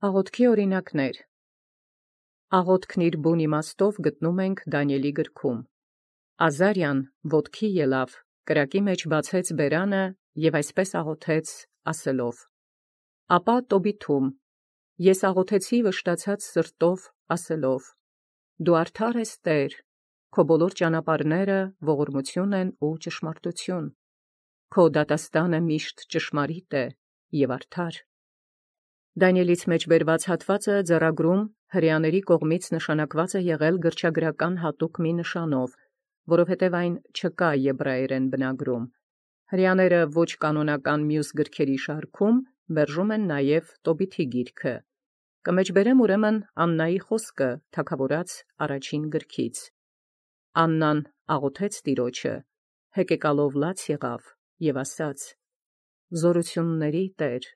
Աղոթքի օրինակներ։ Աղոթքն իր բուն իմաստով գտնում ենք Դանիէլի գրքում։ Ազարիան ոտքի ելավ, կրակի մեջ բացեց բերանը և այսպես աղոթեց ասելով. Ապա Տոբիթում, ես աղոթեցի վշտացած սրտով ասելով. Դու արդար ես Տեր, քո բոլոր ճանապարհները ողորմություն են ու ճշմարտություն, քո դատաստանը միշտ ճշմարիտ է և արդար։ Դանիէլից մեջ բերված հատվածը ձեռագրում հրեաների կողմից նշանակված է եղել գրչագրական հատուկ մի նշանով, որովհետև այն չկա եբրայերեն բնագրում։ Հրեաները ոչ կանոնական մյուս գրքերի շարքում մերժում են նաև Տոբիթի գիրքը։ Կմեջբերեմ ուրեմն Աննայի խոսքը թագավորաց առաջին գրքից։ Աննան աղոթեց Տիրոջը, հեկեկալով լաց եղավ և ասաց. Զորությունների Տեր,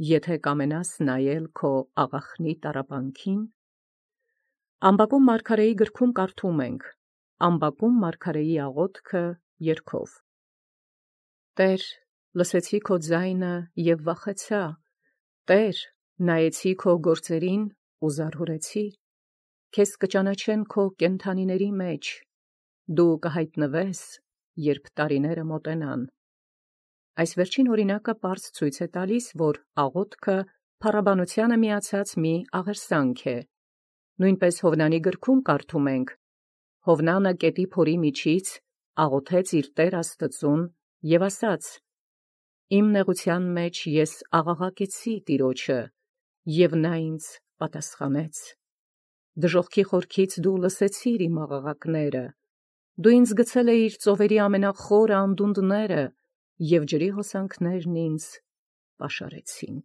եթե կամենաս նայել քո աղախնի տառապանքին։ Ամբակում մարգարեի գրքում կարդում ենք. Ամբակում մարգարեի աղոթքը երգով. Տեր, լսեցի քո ձայնը և վախեցա, Տեր, նայեցի քո գործերին ու զարհուրեցի, քեզ կճանաչեն քո կենդանիների մեջ, դու կհայտնվես, երբ տարիները մոտենան։ Այս վերջին օրինակը պարզ ցույց է տալիս, որ աղոթքը փառաբանությանը միացած մի աղերսանք է։ Նույնպես Հովնանի գրքում կարդում ենք. Հովնանը կետի փորի միջից աղոթեց իր Տեր Աստծուն և ասաց. Իմ նեղության մեջ ես աղաղակեցի Տիրոջը, և նա ինձ պատասխանեց։ Դժոխքի խորքից դու լսեցիր իմ աղաղակները, դու ինձ գցել էիր ծովերի ամենախորը անդունդները, և ջրի հոսանքներն ինձ պաշարեցին։